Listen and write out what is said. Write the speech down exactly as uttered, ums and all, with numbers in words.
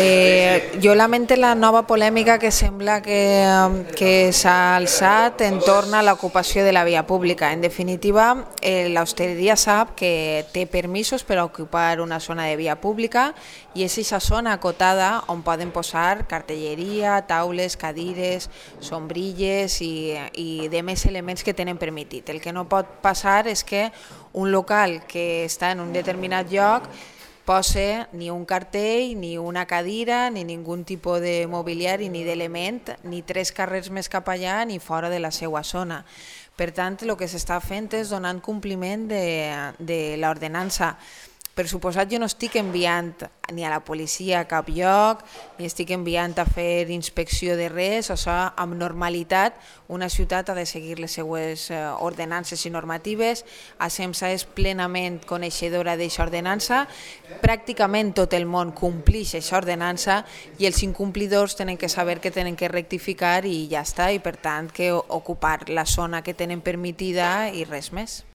Eh, jo lamento la nova polèmica que sembla que, que s'ha alçat entorn a l'ocupació de la via pública. En definitiva, eh, l'hostaleria sap que té permisos per ocupar una zona de via pública i és aquesta zona acotada on poden posar cartelleria, taules, cadires, sombrilles i, i de més elements que tenen permitit. El que no pot passar és que un local que està en un determinat lloc posa ni un cartell, ni una cadira, ni ningun tipus de mobiliari, ni d'element, ni tres carrers més cap allà, ni fora de la seva zona. Per tant, el que s'està fent és donant compliment de, de l'ordenança. Per suposat, jo no estic enviant ni a la policia a cap lloc, ni estic enviant a fer inspecció de res, o sigui, amb normalitat una ciutat ha de seguir les seues ordenances i normatives. A SEMSA és plenament coneixedora d'aquesta ordenança, pràcticament tot el món complix aquesta ordenança i els incomplidors tenen que saber que tenen que rectificar i ja està, i per tant que ocupar la zona que tenen permitida i res més.